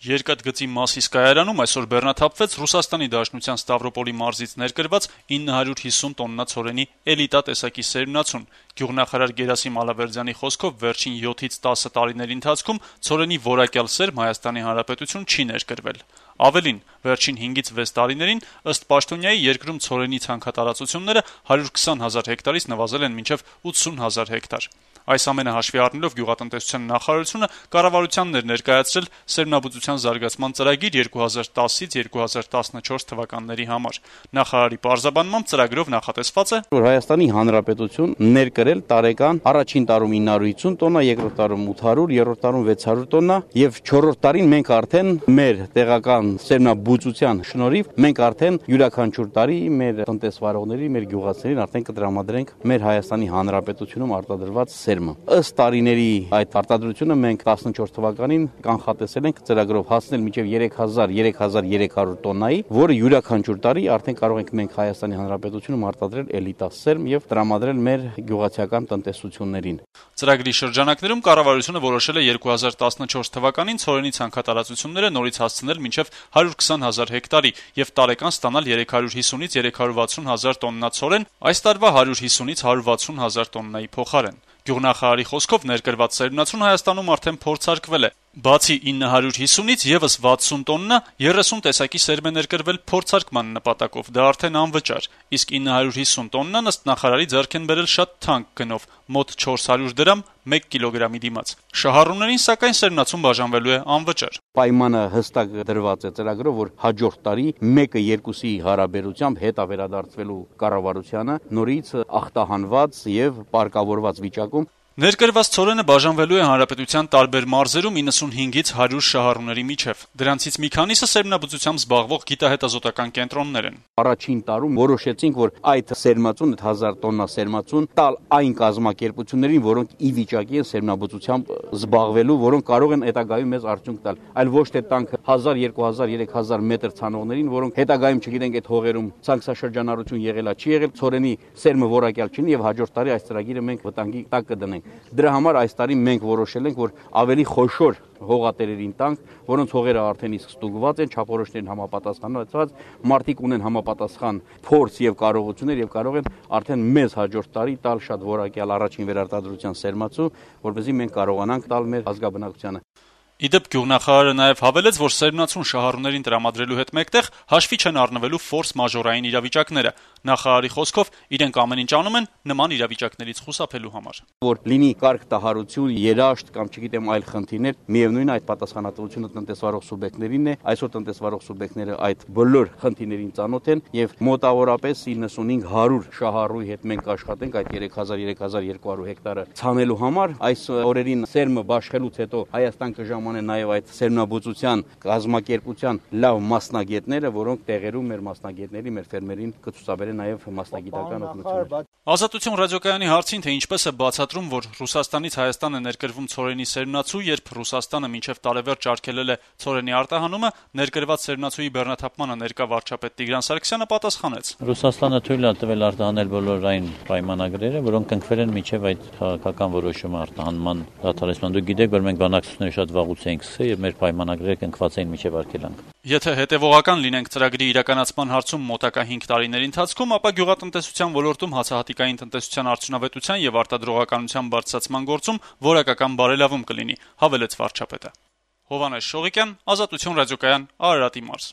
Երկաթգծի Մասիս կայարանում այսօր բեռնաթափվեց Ռուսաստանի Դաշնության Ստավրոպոլի մարզից ներկրված 950 տոննա ցորենի էլիտա տեսակի սերմնացուն։ Գյուղնախարար Գերասիմ Ալավերդյանի խոսքով վերջին 7-ից 10 տարիների ընթացքում ցորենի որակյալ սերմ Հայաստանի Հանրապետություն չի ներկրվել։ Ավելին, վերջին 5-ից 6 տարիներին ըստ պաշտոնյայի երկրում ցորենի ցանքատարածությունները 120 հազար հեկտարից նվազել են մինչև 80 հազար հեկտար։ Այս ամենը հաշվի առնելով Գյուղատնտեսության նախարարությունը կառավարությանն էր ներկայացրել սերմնաբուծության զարգացման ծրագիր 2010-ից 2014 թվականների համար։ Նախարարի պարզաբանմամբ ծրագրով նախատեսված է, որ Հայաստանի Հանրապետություն ներկրել տարեկան առաջին տարում 950 տոննա, երկրորդ տարում 800, երրորդ տարում 600 տոննա եւ չորրորդ տարին մենք արդեն մեր տեղական սերմնաբուծության շնորհիվ մենք արդեն յուրաքանչյուր տարի մեր տնտեսվարողների, մեր գյուղացիներին արդեն կտրամադրենք մեր Հայաստանի Հանրապետությունում արտադրված սերմը։ Ըստ տարիների այդ արտադրությունը մենք 14 թվականին կանխատեսել ենք ծրագրով հասնել մինչև 3300 տոննայի, որը յուրաքանչյուր տարի արդեն կարող ենք մենք Հայաստանի Հանրապետությունում արտադրել էլիտա սերմ եւ տրամադրել մեր գյուղացիական տնտեսություններին։ Ծրագրի շրջանակներում կառավարությունը որոշել է 2014 թվականին ցորենի ցանքատարածությունները նորից հասցնել մինչև 120 հազար հեկտարի եւ տարեկան ստանալ 350-ից 360 հազար տոննա ցորեն, այս տարվա 150-ից 160 հազար տոննայի փոխարեն։ Գյուղնախարարի խոսքով ներկրված սերմնացուն Հայաստանում արդեն փորձարկվել է։ Բացի 950-ից եւս 60 տոննա 30 տեսակի սերմ է ներկրվել փորձարկման նպատակով, դա արդեն անվճար, իսկ 950 տոննան ըստ նախարարի ձեռք են բերել շատ թանկ գնով, մոտ 400 դրամ 1 կիլոգրամի դիմաց։ Շահառուներին սակայն սերմնացուն բաժանվելու է անվճար։ Պայմանը հստակ դրված է ծրագրով, որ հաջորդ տարի 1-2-ի հարաբերությամբ հետա վերադարձվելու կառավարությանը նորից ախտահանված եւ պարկավորված վիճակում։ Ներկրված ցորենը բաժանվելու է հանրապետության տարբեր մարզերում 95-ից 100 շահառուների միջև։ Դրանցից մի քանիսը սերմնաբուծությամբ զբաղվող գիտահետազոտական կենտրոններ են։ Առաջին տարում որոշեցինք, որ այդ սերմնացուն, 1000 տոննա սերմնացուն տալ այն կազմակերպություններին, որոնք ի վիճակի են սերմնաբուծությամբ զբաղվելու, որոնք կարող են հետագայում մեզ արդյունք տալ, այլ ոչ թե տանք 1000, 2000, 3000 մետր ցանողներին, որոնք հետագայում չգիտենք այդ հողերում ցանքսաշրջանառություն եղելա, չի եղել, ցորենի սերմը որակյալ չունի եւ հաջորդ տարի այս ծրագիրը մենք վտանգի տակ կդնենք։ Դրա համար այս տարի մենք որոշել ենք, որ ավելի խոշոր հողատերերին տանք, որոնց հողերը արդեն իսկ ստուգված են, չափորոշներին համապատասխանված, մարդիկ ունեն համապատասխան փորձ եւ կարողություններ եւ կարող են արդեն մեզ հաջորդ տարի տալ շատ որակյալ առաջին վերարտադրության սերմացու, որպեսզի մենք կարողանանք տալ մեր ազգաբնակությանը։ Իդեպ գյուղնախարարը նաև հավելեց, որ սերմնացուն շահառուներին տրամադրելու հետ մեկտեղ հաշվի չեն առնվելու ֆորս մաժորային իրավիճակները։ Նախարարի խոսքով իրենք ամեն ինչ անում են նման իրավիճակներից խուսափելու համար։ Որ լինի կարգ տահարություն, երաշտ կամ չգիտեմ այլ խնդիրներ, միևնույն է այդ պատասխանատվությունը տնտեսվարող սուբյեկտներինն է, այսօր տնտեսվարող սուբյեկտները այդ բոլոր խնդիրներին ծանոթ են եւ մոտավորապես 95-100 շահառուի հետ մենք աշխատենք այդ 3000-3200 հեկտարը ցանելու համար։ Այս օրերին սերմը բաշխելուց հետո Հայաստան կժամանեն նաև այդ սերմնաբուծության կազմակերպության լավ մասնագետները, որոնք տեղերում մեր մասնագետների, մեր ֆերմերին կցուցաբերեն նաև մասնագիտական օգնություն։ Ազատություն ռադիոկայանի հարցին, թե ինչպես է բացատրում, որ Ռուսաստանից Հայաստան է ներկրվում ցորենի սերմնացու, երբ Ռուսաստանը մինչև տարեվերջ արգելել է ցորենի արտահանումը, ներկրված սերմնացուի բեռնաթափմանը ներկա վարչապետ Տիգրան Սարգսյանը պատասխանեց. Ռուսաստանը թույլ է տվել արտահանել բոլոր այն պայմանագրերը, որոնք կնքվել են մինչև այդ քաղաքական որոշումը արտահանման դադարեցման։ Դուք գիտեք, որ մենք բանակցությունները շատ վաղուց էինք սկսել եւ մեր պայմանագրերը կնքված էին մինչև արգելանք։ Եթե հետևողական լինենք ծրագրի իրականացման հարցում մոտակա 5 տարիների ընթացքում, ապա գյուղատնտեսության ոլորտում հացահատիկային տնտեսության արդյունավետության եւ արտադրողականության բարձրացման գործում որակական բարելավում կլինի, հավելեց վարչապետը։ Հովհաննես Շողիկյան, Ազատություն ռադիոկայան, Արարատի մարզ։